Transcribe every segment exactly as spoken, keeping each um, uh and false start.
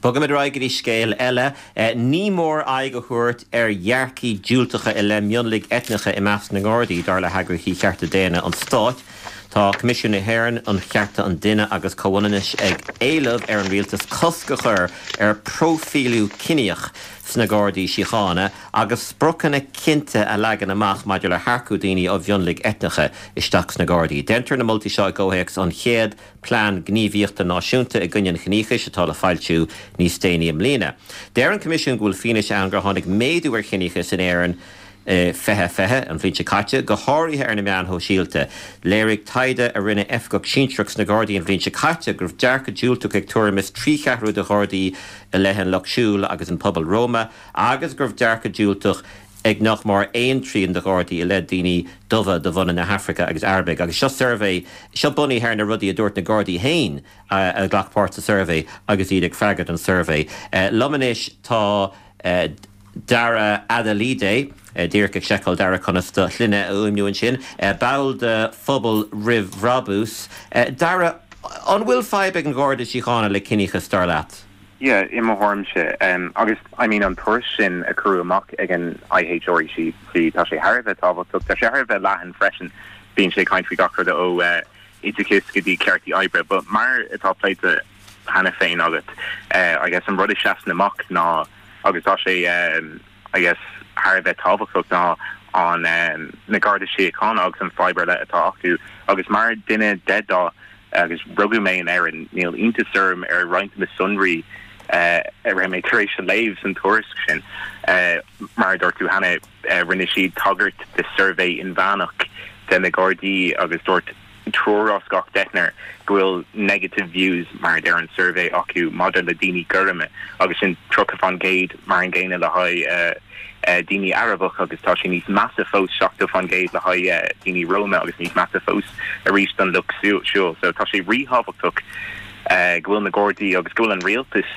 Bogaimid ar aghaidh go dtí scéal eile, ní mór aghaidh a thabhairt ar dhearcthaí diúltacha i leith mionlaigh eitneacha i measc na nGardaí, dar le heagraíochtaí chearta daonna an stáit. Tá Coimisiún na hÉireann um Chearta an Duine agus Comhionannais ag éileamh ar an rialtas cosc a chur ar próifíliú ciníoch sna Gardaí Síochána agus spriocanna cinnte a leagan amach maidir le hearcú daoine ó mhionlaigh eitneacha isteach sna Gardaí. Déantar na moltaí seo i gcomhthéacs an chéad plean gníomhaíochta náisiúnta i gcoinne an chiníochais atá le foilsiú níos déanaí i mbliana. Deir an Coimisiún go bhfuil fianaise ann gur tháinig méadú ar chiníochas in Éirinn fiche fiche an bhliain seo caite, go háirithe ar na meáin shóisialta. Léirigh taighde a rinne oifigeach sinsearach sna Gardaí an bhliain seo caite go raibh dearcadh diúltach ag tuairim is trí cheathrú de Ghardaí i leith an lucht siúil agus an pobal Roma, agus go raibh dearcadh diúltach ag nach mór aon trian de Ghardaí i leith daoine dubha de bhunadh na hAfraice agus Arabaigh. Agus seo suirbhé seo bunaithe ar na rudaí a dúirt na Gardaí féin a ghlac páirt sa suirbhé agus iad ag freagairt an suirbhé. Liom anois tá Dara Adelide, díreach ag seiceáil Dara conas do shloinne a fhuaimniú ansin, ball de phobal roimh bhrabús. Dara, an bhfuil fadhb ag an Gharda Síochána le ciníochas dar leat? Yeah, i mo thuairimse um, agus I mean an tuairisc sin a cuireadh amach ag an IHREC tá sé thar a bheith tábhachtach, tá sé thar a bheith leathan freisin bíonn sé caint faoi gach rud ó uh, oideachas go dtí ceartaí oibre, but mar atá pléite cheana féin agat uh, I guess an rud a sheasann amach ná agus tá sé um, I guess thar a bheith tábhachtach ná an um, na Garda Síochána agus an fhadhb le atá acu agus mar duine de dhath agus rugadh mé in Éirinn níl iontas orm ar roinnt na sonraí uh, a raibh mé tar éis a léamh san tuairisc sin uh, mar dúirt tú cheana uh, rinne siad tagairt de suirbhé inmheánach de na Gardaí agus dúirt triúr as gach deichniúr go bhfuil negative views mar ar an suirbhé acu maidir le daoine gorma agus sin tríocha faoin gcéad mar an gcéanna le haghaidh uh, uh, daoine Arabach agus tá sé níos measa fós seachtó faoin gcéad le haghaidh uh, daoine Roma agus níos measa fós arís don lucht siúil so tá sé ríthábhachtach uh, go bhfuil na Gardaí agus go bhfuil an rialtas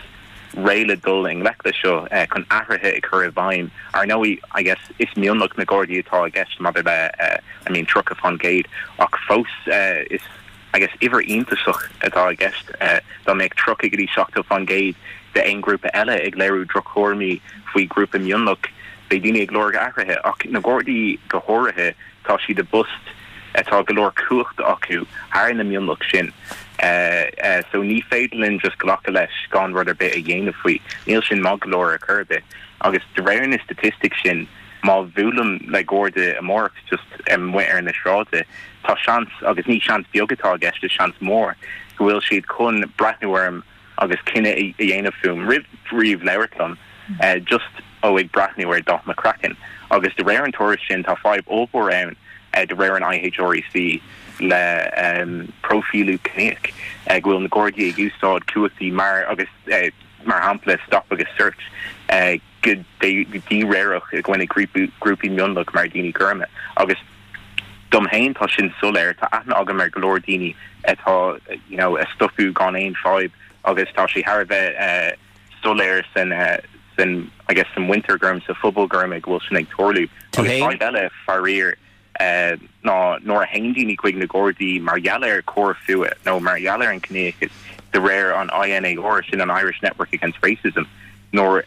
réidh le dul i ngleic le seo uh, chun athruithe a chur i bhfeidhm ar ndóigh I guess is mionlach na Gardaí atá i gceist maidir le uh, I mean tríocha faoin gcéad ach fós uh, is I guess uimhir iontach atá i gceist uh, dá mbeadh tríocha go dtí seachtó faoin gcéad de aon grúpa eile ag léiriú drochthuairimí faoi grúpa mionlach beidh daoine ag lorg athruithe ach na Gardaí go háirithe tá siad i bpost atá go leor cumhacht acu thar na mionlach sin. Uh, uh, so ní féidir linn just glacadh leis gan rud ar bith a dhéanamh faoi níl sin maith go leor ar chor ar bith agus de réir na statistic sin má bhuailim le Garda amárach just amuigh ar na sráide tá seans agus ní seans beag atá i gceist is seans mór go bhfuil siad chun breathnú orm agus cinneadh a dhéanamh fúm roimh riamh labhairt liom uh, just ó ag breathnú ar dath mo chraicinn agus de réir an tuairisc sin tá fadhb ollmhór ann uh, de réir an IHREC le um, próifíliú ciníoch uh, go bhfuil na Gardaí ag úsáid cumhachtaí mar agus uh, mar shampla stop agus search uh, go díréireach i gcoinne grúpaí mionlach mar daoine gorma agus dom féin tá sin soiléir tá aithne agam ar go leor daoine atá you know, a stopadh gan aon fadhb agus tá sé thar a bheith uh, soiléir san uh, san I guess san muintir gorm sa phobal gorm go bhfuil sin ag tarlú agus eile faraor uh, ná nuair a théann daoine chuig na Gardaí mar gheall ar choir fuatha nó mar gheall ar an ciníochas de réir an INAR sin an Irish Network Against Racism nuair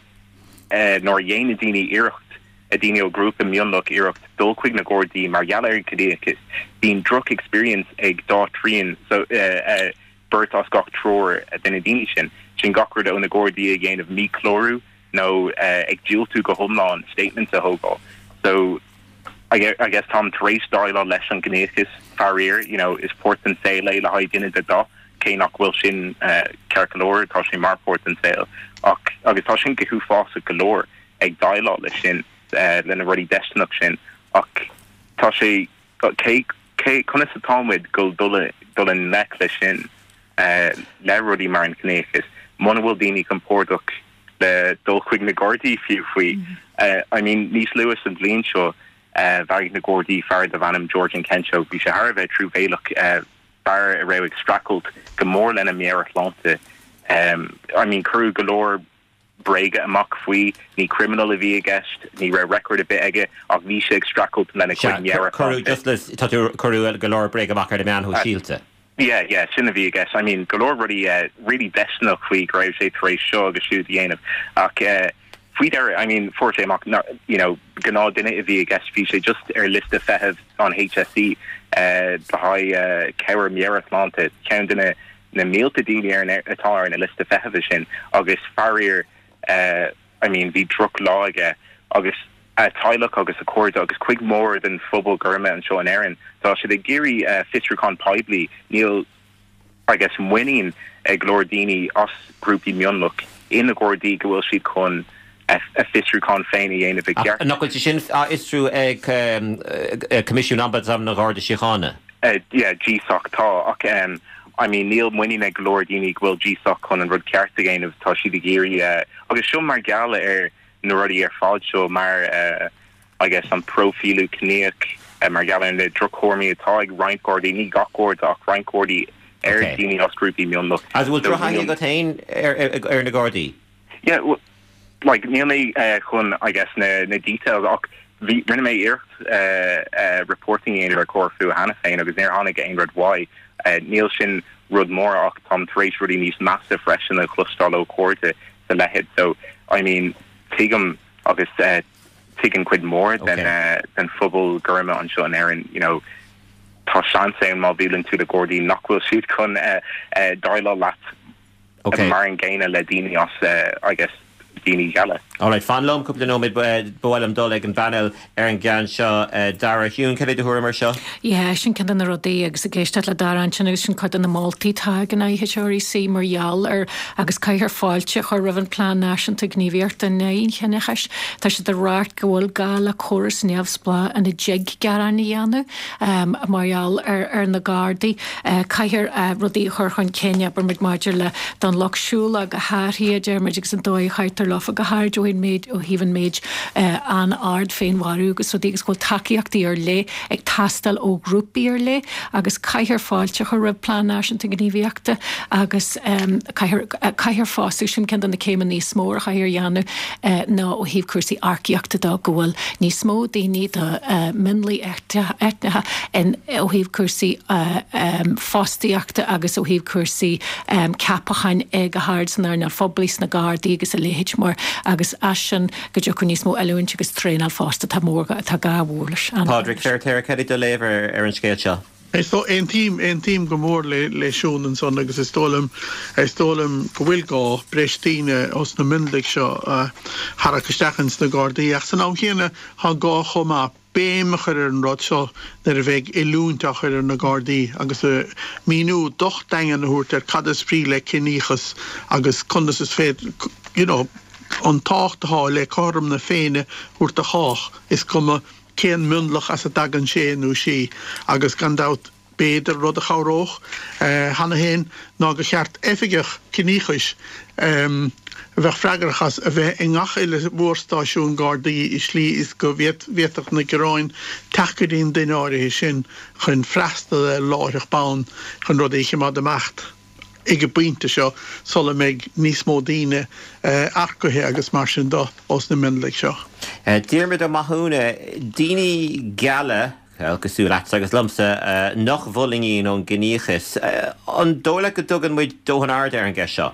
uh, nuair a dhéanann daoine iarracht a daoine ó grúpa mionlach iarracht dul chuig na Gardaí mar gheall ar an ciníochas bíonn droch experience ag dá trian so uh, uh, beirt as gach triúr de na daoine sin sin gach rud ó na Gardaí ag déanamh míchlárú nó uh, ag diúltú go hiomlán statements a thógáil so I guess, I guess táim tar éis déileáil leis an gciníochas faraor you know is páirt den saol é le haghaidh duine de dhath cé nach bhfuil sin uh, ceart go leor tá sin mar páirt den saol ach agus tá sin go huafásach go leor ag déileáil leis sin uh, lena rudaí déistineach sin ach tá sé cé cé conas atáimid go dul dul i ngleic leis sin uh, le rudaí mar an ciníochas muna bhfuil daoine compordach le dul chuig na Gardaí fiú faoi mm -hmm. uh, I mean níos luaithe sa bhliain seo uh, mharaigh na Gardaí fear darbh ainm George Nkencho bhí sé thar a bheith truamhéalach uh, fear a raibh ag streachailt go mór lena meabhairshláinte um, I mean cuireadh go leor bréaga amach faoi ní criminal a bhí i gceist ní raibh record ar bith aige ach bhí sé ag streachailt lena cuireadh go leor bréaga amach ar na meáin shóisialta. Yeah, yeah, sin a bhí i gceist. I mean, go leor rudaí uh, really deisteanach faoi go raibh sé tar éis seo agus siúd a dhéanamh. Ach uh, faoi dheireadh, I mean, fuair sé amach you know, gnáthdhuine a bhí i gceist bhí sé just ar liosta feithimh an HSE uh, le haghaidh uh, cabhair meabhairshláinte ceann de na na mílte daoine ar atá ar na liosta feithimh sin agus faraor uh, I mean, bhí drochlá aige agus a theaghlach agus a chairde agus cuid mhór den phobal gorm anseo in Éirinn. Tá siad ag iarraidh uh, fiosrúchán poiblí níl I guess muinín ag go leor daoine as grúpaí mionlach in na Gardaí go bhfuil siad chun a fiosrúchán féin a dhéanamh i gceart. Nach bhfuil sin á fhiosrú ag Coimisiún Ombudsman na Garda Síochána? Uh, yeah, GSOC tá ach um, I mean níl muinín ag go leor daoine go bhfuil GSOC chun an rud ceart a dhéanamh tá siad ag iarraidh uh, agus seo mar gheall ar na rudaí ar fad seo mar uh, I guess an próifíliú ciníoch uh, mar gheall ar na drochthuairimí atá ag roinnt Gardaí ní gach Garda ach roinnt Gardaí ar Okay. daoine as grúpaí mionlach. As bhfuil So drochthaithí níl- agat féin ar ar na Gardaí? Yeah, well, like níl mé uh, chun I guess na na details ach bhí rinne mé iarracht uh, uh, reporting a dhéanamh ar Comhar cheana féin agus níor tháinig aon rud uaidh uh, níl sin rud mór ach táim tar éis rudaí níos measa freisin a chloisteáil ó chairde sa leithéid so I mean tuigim agus uh, tuigeann cuid mhór den Okay. uh, den phobal gorm anseo in Éirinn you know tá seans ann má bhuaileann tú le Gardaí nach bhfuil siad chun uh, uh, déileáil leat Okay. mar an gcéanna le daoine as uh, I guess daoine geala. Alright, fan liom cúpla nóiméad ba mhaith liom dul ag an bpanel ar an gceann seo uh, Dara Hume cad é do thuairim air seo? Yeah, sin ceann de na rudaí agus ag éisteacht le Dara ansin agus sin cuid de na moltaí atá ag an IHREC mar gheall ar agus caithfear fáilte a chur roimh an Plean Náisiúnta Gníomhaíochta in aghaidh an chiníochais. Tá sé de ráit go bhfuil gá le córas neamhspleách ina dtig gearáin a dhéanamh um, mar gheall ar, ar na Gardaí. Uh, caithfear uh, rudaí a chur chun cinn abair muid maidir le don lucht siúil go háirithe deirmid agus an dóigh a chaitear leofa go háirithe ó méid ó thaobh an méid uh, an-ard féinmharú agus rudaí agus go bhfuil tacaíochtaí ar leith ag teastáil ó ghrúpaí ar leith agus caithfear fáilte a chur roimh Plean Náisiúnta Gníomhaíochta agus um, caithfear fosta sin ceann de na céimeanna níos mó a chaithfear a dhéanamh uh, ná ó thaobh cúrsaí earcaíochta de go bhfuil níos mó daoine de uh, mionlaigh eitneacha in ó thaobh cúrsaí uh, um, fostaíochta agus ó thaobh cúrsaí um, ceapacháin ag go hard san earnáil phoiblí sna Gardaí agus a leithéid mar agus as sin go dtiocfadh níos mó oiliúint agus traenáil fosta tá mór tá gá mhór leis. Pádraig Feirtéar cad é do léamh ar ar an scéal seo. Is dó aontaím aontaím go mór le le Siún ansan agus is dóigh liom is dóigh liom go bhfuil gá breis daoine os na mionlaigh seo a tharrac isteach ins na Gardaí ach san am chéanna tá gá chomh maith béim a chur ar an rud seo nuair a bheidh oiliúint á chur ar na Gardaí agus a míniú docht daingean a thabhairt ar cad is brí le ciníochas agus conas is féidir you know, an tábhacht atá le cothrom na Féinne a thabhairt do chách is cuma cén mionlach as a dtagann sé nó sí agus gan dabht b'fhéidir rud a chabhródh cheana féin ná gur cheart oifigeach ciníochais um, a bheith freagrach as a bheith i ngach uile mhórstáisiún Gardaí i slí is go bhféadfadh na gearáin teacht go dtí an duine áirithe sin chun freastal láithreach bonn chun rudaí a choimeád amach ag an bpointe seo sula mbeidh níos mó daoine earcaithe agus mar sin de os na mionlaigh seo. Diarmuid Ó Mathúna daoine geala cosúil leat agus liomsa nach bhfulaingíonn ón gciníochas. An dóigh leat go dtugann muid dóthain aird ar an gceist seo?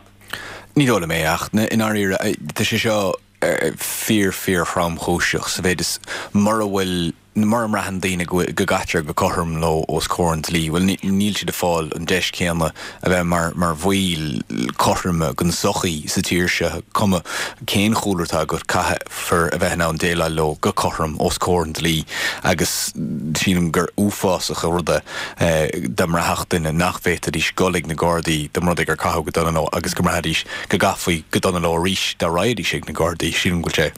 Ní dóigh liom é ach i ndáiríre tá sé seo fíor fíor thromchúiseach sa mhéid is mura bhfuil mura mbraitheann daoine go gcaitear go cothrom leo os comhair an dlí, Well níl siad ag fáil an deis céanna a bheith mar mar bhaill cothroma den tsochaí sa tír seo cuma cén chúlra atá agat caithfear a bheith ann déileáil leo go cothrom os comhair an dlí agus sílim gur uafásach an rud é dá mbraithfeadh duine nach bhféadfaidís dul ag na Gardaí dá mba rud é gur caitheadh go dona leo agus go mbraithfidís go gcaithfí go dona leo arís dá raghaidís ag na Gardaí sílim go sé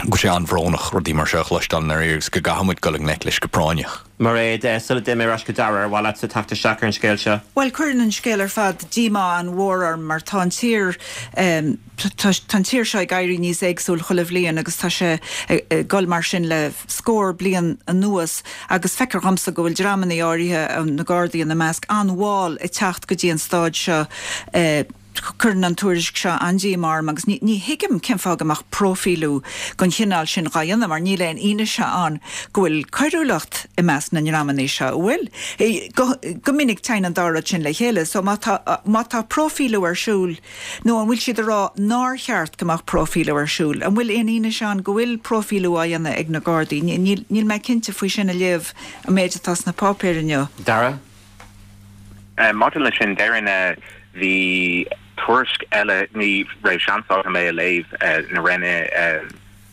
go sé an-bhrónach rudaí mar seo a chloisteáil ar agus go gcaithfimid dul i ngleic leis go práinneach. Mairéad sula dtéim ar ais go Dara ar mhaith leat teacht isteach ar an scéal seo. Well cuireann an scéal ar fad díomá an-mhór orm mar tá an tír um, tá an tír seo ag éirí níos éagsúla chuile bhliain agus tá sé ag dul mar sin le scór bliain anuas agus feictear domsa go bhfuil dreamanna áirithe na Gardaí ina measc an-mhall ag teacht go dtí an staid seo uh, Cuireann an tuairisc seo an-díomá orm agus ní thuigim cén fáth go mbeadh próifíliú den chineál sin dhá dhéanamh mar níl aon fhianaise ann go bhfuil coiriúlacht i measc na ndreamanna seo, an bhfuil? Go minic téann an dá rud sin le chéile so má tá má tá próifíliú ar siúl nó an bhfuil siad ag rá nár cheart go mbeadh próifíliú ar siúl? An bhfuil aon fhianaise ann go bhfuil próifíliú á dhéanamh ag na Gardaí? Níl mé cinnte faoi sin ag léamh an méid atá sna páipéir inniu. Dara? Maidir leis sin, déarfainn bhí tuairisc eile, ní raibh seans agam é a léamh, na rinne,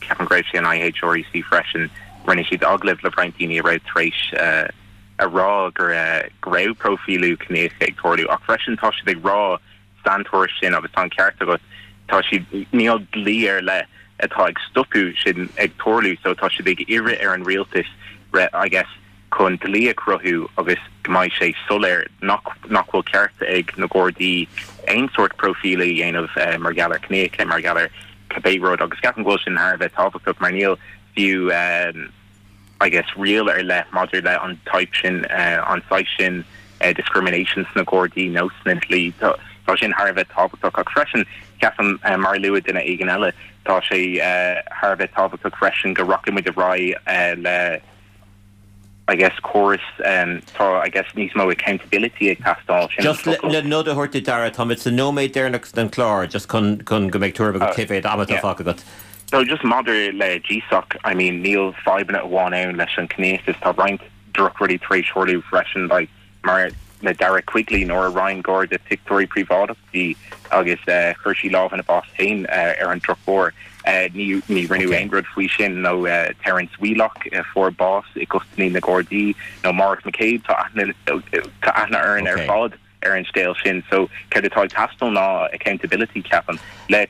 ceapaim go raibh sé an IHREC freisin, rinne siad agallamh le roinnt daoine a raibh tar éis a rá go raibh próifíliú ciníoch ag tarlú ach freisin tá siad ag rá san tuairisc sin agus tá an ceart agat, tá siad, níl dlí ar leith atá ag stopadh sin ag tarlú so tá siad ag iarraidh ar an rialtas I guess chun dlí a chruthú agus go mbeidh sé soiléir nach nach bhfuil ceart ag na Gardaí aon sórt próifíliú a dhéanamh mar gheall ar ciníochas, mar gheall ar cibé rud agus ceapaim go bhfuil sin thar a bheith tábhachtach mar níl fiú I guess riail ar leith maidir le an type sin an saghas sin discrimination sna Gardaí nó sna dlí. Tá sin thar a bheith tábhachtach ach freisin ceapaim mar a luaigh duine éigin eile tá sé thar a bheith tábhachtach freisin go rachaidh muid ar aghaidh le I guess córas tá I guess níos mó accountability ag teastáil sin Just le nod a thabhairt duit Dara, táimid sa nóiméad deireanach den chlár just chun chun go mbeidh tuairim agat cé mhéad ama atá fágtha agat. So just maidir le GSOC, I mean níl fadhbanna amháin ann leis an ciníochas, tá roinnt drochrudaí tar éis tarlú freisin like mar le Dara Quigley nuair a roinn Garda pictiúirí príobháideach di agus chuir sí lámh ina bás féin ar an drochuair. Ní ní rinneadh aon rud faoi sin nó Terence Wheelock a fuair bás i gcustody na Gardaí nó Maurice McCabe tá aithne tá aithne orainn ar fad ar an scéal sin. So céard atá ag teastáil ná accountability ceapaim le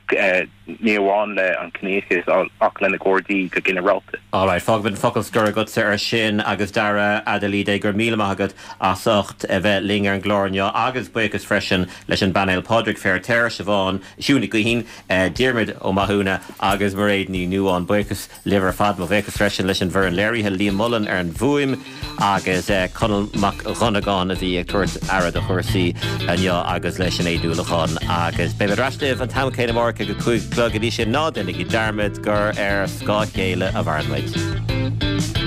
ní amháin le an ciníochas ach le na Gardaí go ginearálta. Alright, fágfaimid an focal scoir agatsa ar sin agus Dara Adelide, go raibh míle maith agat as ucht a bheith linn ar an gclár inniu agus buíochas freisin leis an bpainéal Pádraig Feiritéar, Siobhán, Siún Ní Ghaoithín, Diarmuid Ó Mathúna agus Mairéad Ní Nuadháin. Buíochas libh ar fad. Mo bhuíochas freisin leis an bhfoireann léirithe, Liam Mullen ar an bhfuaim agus Conall Mac Dhonnagáin a bhí ag tabhairt aire do chúrsaí inniu agus le Sinéad Uallacháin. Agus beidh mé ar ais libh an t-am céanna amárach ag a cúig a chlog. Go dtí sin, ná déanaigí dearmad gur ar scáth a chéile a mhaireann muid.